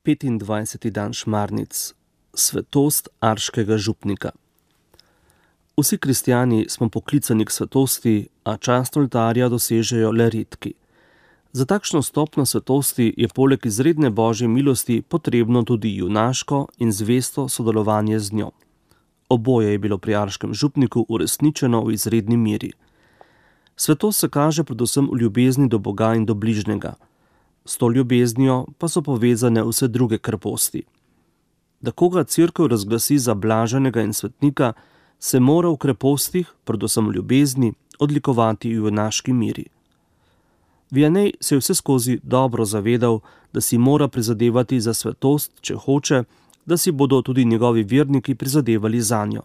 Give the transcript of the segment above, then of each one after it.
25. dan šmarnic, svetost arškega župnika. Vsi kristjani smo poklicani k svetosti, a čast oltarja dosežejo le redki. Za takšno stopnjo svetosti je poleg izredne božje milosti potrebno tudi junaško in zvesto sodelovanje z njo. Oboje je bilo pri arškem župniku uresničeno v izredni meri. Svetost se kaže predvsem v ljubezni do Boga in do bližnjega. S to ljubeznijo pa so povezane vse druge kreposti. Da koga cerkev razglasi za blaženega in svetnika, se mora v krepostih, predvsem v ljubezni, odlikovati v junaški miri. Vianney se je vse skozi dobro zavedal, da si mora prizadevati za svetost, če hoče, da si bodo tudi njegovi verniki prizadevali zanjo.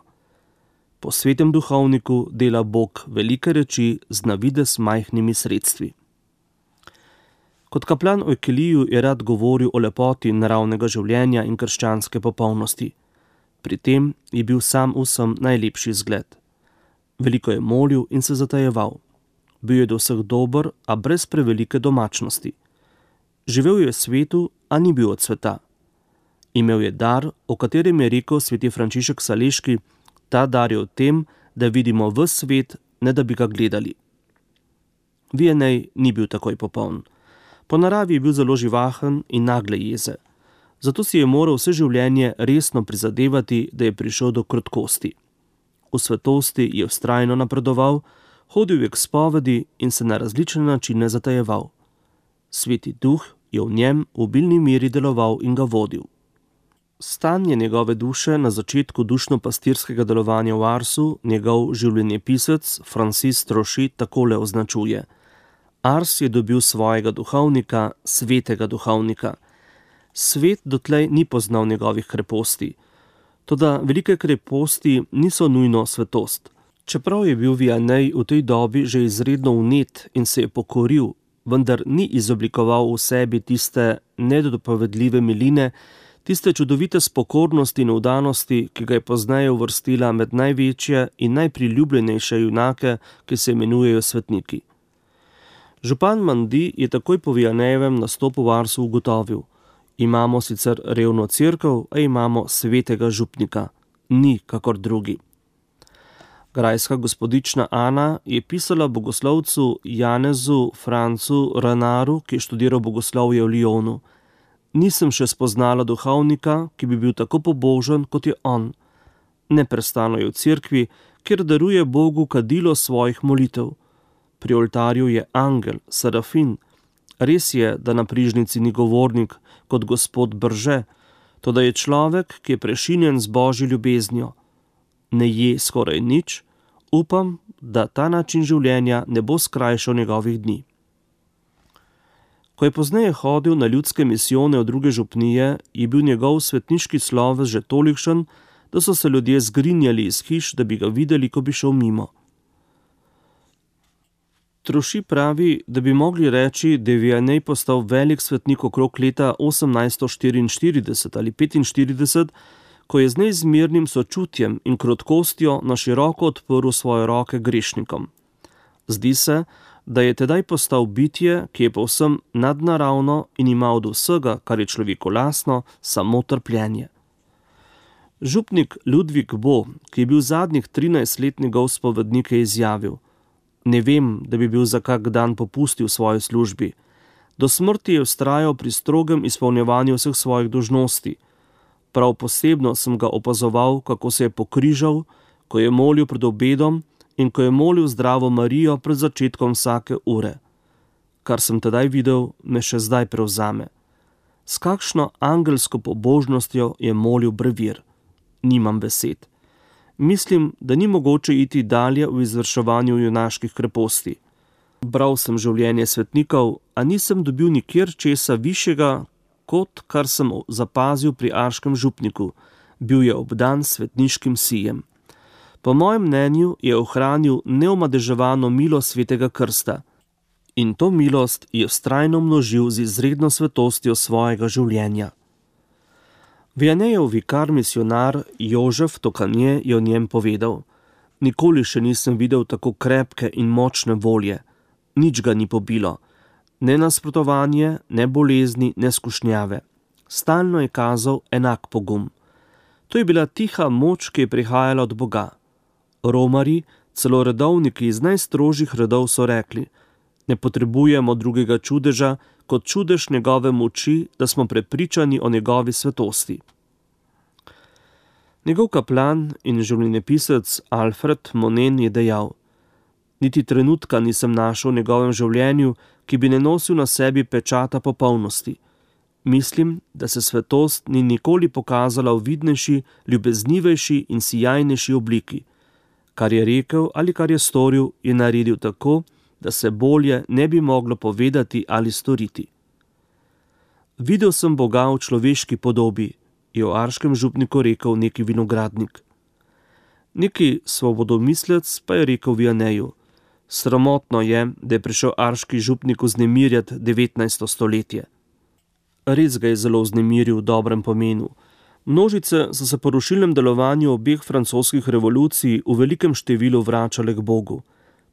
Po svetem duhovniku dela Bog velike reči z navidez majhnimi sredstvi. Kot kaplan v Ekeliju je rad govoril o lepoti naravnega življenja in krščanske popolnosti. Pri tem je bil sam vsem najlepši zgled. Veliko je molil in se zatajeval. Bil je do vseh dober, a brez prevelike domačnosti. Živel je v svetu, a ni bil od sveta. Imel je dar, o katerem je rekel sveti Frančišek Saleški, ta dar je v tem, da vidimo ves svet, ne da bi ga gledali. Vianney ni bil takoj popoln. Po naravi je bil zelo živahen in nagle jeze. Zato si je moral vse življenje resno prizadevati, da je prišel do krotkosti. V svetosti je vztrajno napredoval, hodil je k spovedi in se na različne načine zatajeval. Sveti duh je v njem v obilni meri deloval in ga vodil. Stanje njegove duše na začetku dušno-pastirskega delovanja v Arsu njegov življenjepisec Francis Troši takole označuje. Ars je dobil svojega duhovnika, svetega duhovnika. Svet dotlej ni poznal njegovih kreposti. Toda velike kreposti niso nujno svetost. Čeprav je bil Vianney v tej dobi že izredno vnet in se je pokoril, vendar ni izoblikoval v sebi tiste nedopovedljive miline, tiste čudovite spokornosti in vdanosti, ki ga je pozneje uvrstila med največje in najpriljubljenejše junake, ki se imenujejo svetniki. Župan Mandi je takoj po Vianneyjevem nastopu v Arsu ugotovil: imamo sicer revno cerkev, a imamo svetega župnika. Ni kakor drugi. Grajska gospodična Ana je pisala bogoslovcu Janezu Francu Renaru, ki je študiral bogoslovje v Lyonu: nisem še spoznala duhovnika, ki bi bil tako pobožen, kot je on. Neprestano je v cerkvi, kjer daruje Bogu kadilo svojih molitev. Pri oltarju je angel, serafin. Res je, da na prižnici ni govornik, kot gospod Brže, toda je človek, ki je prešinjen z božjo ljubeznijo. Ne je skoraj nič, upam, da ta način življenja ne bo skrajšal njegovih dni. Ko je pozneje hodil na ljudske misijone v druge župnije, je bil njegov svetniški sloves že tolikšen, da so se ljudje zgrinjali iz hiš, da bi ga videli, ko bi šel mimo. Troši pravi, da bi mogli reči, da je Vianney postal velik svetnik okrog leta 1844 ali 45, ko je z neizmernim sočutjem in krotkostjo na široko odprl svoje roke grešnikom. Zdi se, da je tedaj postal bitje, ki je povsem nadnaravno in ima od vsega, kar je človeku lastno, samo trpljenje. Župnik Ludvik Bo, ki je bil zadnjih 13 let njegov spovednik, je izjavil: ne vem, da bi bil za kak dan popustil v svoji službi. Do smrti je vztrajal pri strogem izpolnjevanju vseh svojih dolžnosti. Prav posebno sem ga opazoval, kako se je pokrižal, ko je molil pred obedom in ko je molil Zdravo Marijo pred začetkom vsake ure. Kar sem tedaj videl, me še zdaj prevzame. S kakšno angelsko pobožnostjo je molil brevir. Nimam besed. Mislim, da ni mogoče iti dalje v izvrševanju junaških kreposti. Bral sem življenje svetnikov, a nisem dobil nikjer česa višjega, kot kar sem zapazil pri arškem župniku. Bil je obdan svetniškim sijem. Po mojem mnenju je ohranil neomadeževano milost svetega krsta. In to milost je vztrajno množil z izredno svetostjo svojega življenja. Vianneyjev vikar misionar Jožef Tokanje je o njem povedal: nikoli še nisem videl tako krepke in močne volje. Nič ga ni pobilo. Ne nasprotovanje, ne bolezni, ne skušnjave. Stalno je kazal enak pogum. To je bila tiha moč, ki je prihajala od Boga. Romarji, celo redovniki iz najstrožjih redov so rekli: ne potrebujemo drugega čudeža kot čudež njegove moči, da smo prepričani o njegovi svetosti. Njegov kaplan in življenjepisec Alfred Monen je dejal: niti trenutka nisem našel v njegovem življenju, ki bi ne nosil na sebi pečata popolnosti. Mislim, da se svetost ni nikoli pokazala v vidnejši, ljubeznivejši in sijajnejši obliki. Kar je rekel ali kar je storil, je naredil tako, da se bolje ne bi moglo povedati ali storiti. Videl sem Boga v človeški podobi, je v Arškem župniku rekel neki vinogradnik. Neki svobodomislec pa je rekel Vianeju: sramotno je, da je prišel arški župnik vznemirjati 19. stoletje. Res ga je zelo vznemiril v dobrem pomenu. Množice so se po rušilnem delovanju obeh francoskih revolucij v velikem številu vračale k Bogu.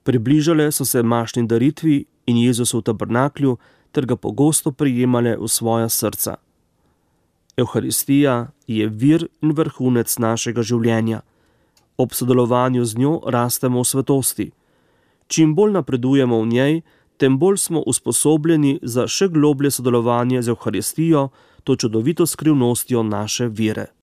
Približale so se mašni daritvi in Jezusu v tabernaklju ter ga pogosto prijemale v svoja srca. Evharistija je vir in vrhunec našega življenja. Ob sodelovanju z njo rastemo v svetosti. Čim bolj napredujemo v njej, tem bolj smo usposobljeni za še globlje sodelovanje z Evharistijo, to čudovito skrivnostjo naše vere.